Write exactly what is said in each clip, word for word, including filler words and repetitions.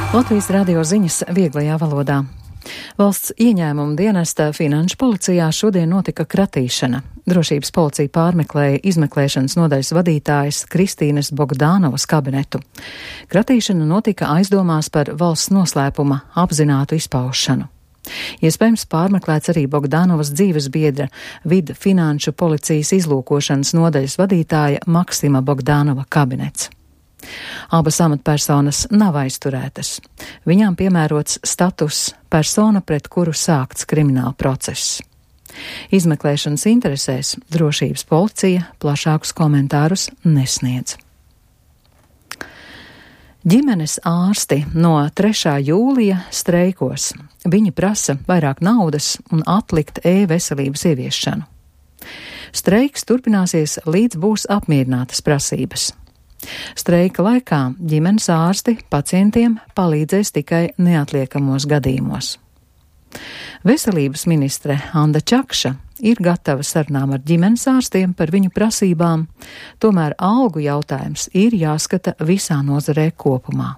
Latvijas radio ziņas vieglajā valodā. Valsts ieņēmuma dienesta Finanšu policijā šodien notika kratīšana. Drošības policija pārmeklēja izmeklēšanas nodaļas vadītājas Kristīnes Bogdānovas kabinetu. Kratīšana notika aizdomās par valsts noslēpuma apzinātu izpaušanu. Iespējams pārmeklēts arī Bogdānovas dzīves biedra Vida Finanšu policijas izlūkošanas nodaļas vadītāja Maksima Bogdānova kabinets. Abas amatpersonas nav aizturētas. Viņām piemērots status persona, pret kuru sākts krimināla process. Izmeklēšanas interesēs drošības policija plašākus komentārus nesniedz. Ģimenes ārsti no trešā jūlija streikos. Viņi prasa vairāk naudas un atlikt e-veselības ieviešanu. Streiks turpināsies, līdz būs apmierinātas prasības. Streika laikā ģimenes ārsti pacientiem palīdzēs tikai neatliekamos gadījumos. Veselības ministre Anda Čakša ir gatava sarunām ar ģimenes ārstiem par viņu prasībām, tomēr algu jautājums ir jāskata visā nozarē kopumā.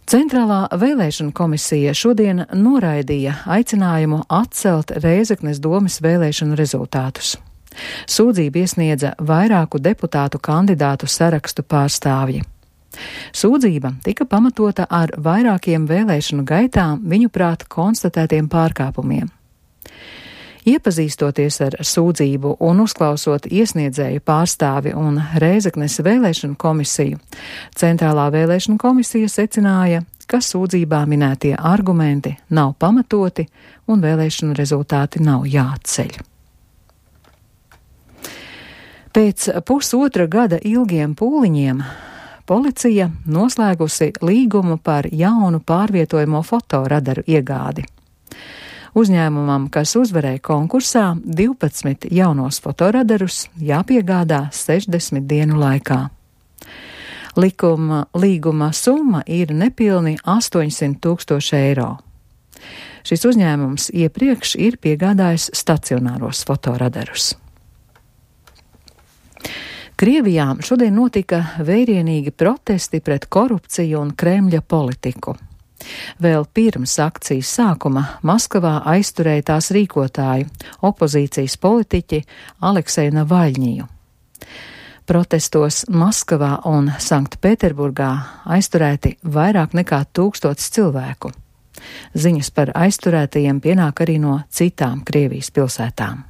Centrālā vēlēšana komisija šodien noraidīja aicinājumu atcelt Rēzeknes domes vēlēšanu rezultātus. Sūdzību iesniedza vairāku deputātu kandidātu sarakstu pārstāvji. Sūdzība tika pamatota ar vairākiem vēlēšanu gaitā viņuprāt konstatētiem pārkāpumiem. Iepazīstoties ar sūdzību un uzklausot iesniedzēju pārstāvi un Rēzeknes vēlēšanu komisiju, Centrālā vēlēšana komisija secināja, ka sūdzībā minētie argumenti nav pamatoti un vēlēšanu rezultāti nav jāatceļ. Pēc pusotra gada ilgiem pūliņiem policija noslēgusi līgumu par jaunu pārvietojamo fotoradaru iegādi. Uzņēmumam, kas uzvarēja konkursā, divpadsmit jaunos fotoradarus jāpiegādā sešdesmit dienu laikā. Likuma, līguma summa ir nepilni astoņsimt tūkstoši eiro. Šis uzņēmums iepriekš ir piegādājis stacionāros fotoradarus. Krievijā šodien notika vērienīgi protesti pret korupciju un Kremļa politiku. Vēl pirms akcijas sākuma Maskavā aizturēja tās rīkotāju, opozīcijas politiķi Alekseju Navaļņiju. Protestos Maskavā un Sanktpēterburgā aizturēti vairāk nekā tūkstots cilvēku. Ziņas par aizturētajiem pienāk arī no citām Krievijas pilsētām.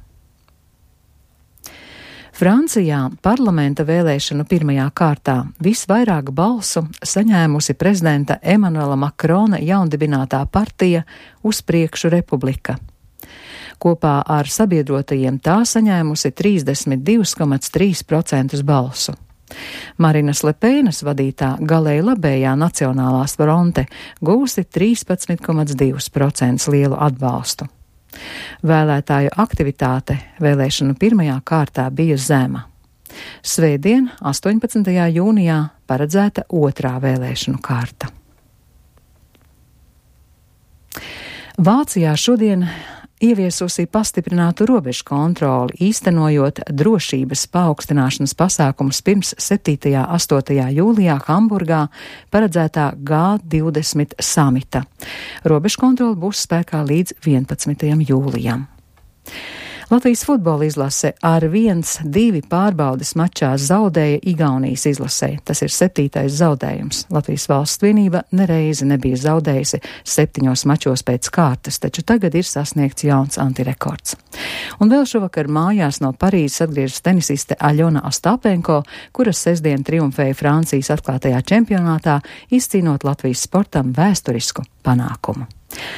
Francijā parlamenta vēlēšanu pirmajā kārtā visvairāk balsu saņēmusi prezidenta Emanuela Makrona jaundibinātā partija Uz priekšu republika. Kopā ar sabiedrotajiem tā saņēmusi trīsdesmit divi komats trīs procenti balsu. Marinas Lepēnas vadītā galēji labējā Nacionālās fronte gūsi trīspadsmit komats divi procenti lielu atbalstu. Vēlētāju aktivitāte vēlēšanu pirmajā kārtā bija zema. Svētdien, astoņpadsmitajā jūnijā, paredzēta otrā vēlēšanu kārta. Vācijā šodien ieviesusi pastiprinātu robežu kontroli, īstenojot drošības paaugstināšanas pasākumus pirms septītajā un astotajā jūlijā Hamburgā paredzētā G divdesmit samita. Robežu kontroli būs spēkā līdz vienpadsmitajam jūlijam. Latvijas futbola izlase ar viens divi pārbaudes mačā zaudēja Igaunijas izlasē. Tas ir septītais zaudējums. Latvijas valsts vienība nereizi nebija zaudējusi septiņos mačos pēc kārtas, taču tagad ir sasniegts jauns antirekords. Un vēl šovakar mājās no Parīzes atgriežas tenisiste Aļona Ostapenko, kuras sestdien triumfēja Francijas atklātajā čempionātā, izcīnot Latvijas sportam vēsturisku panākumu.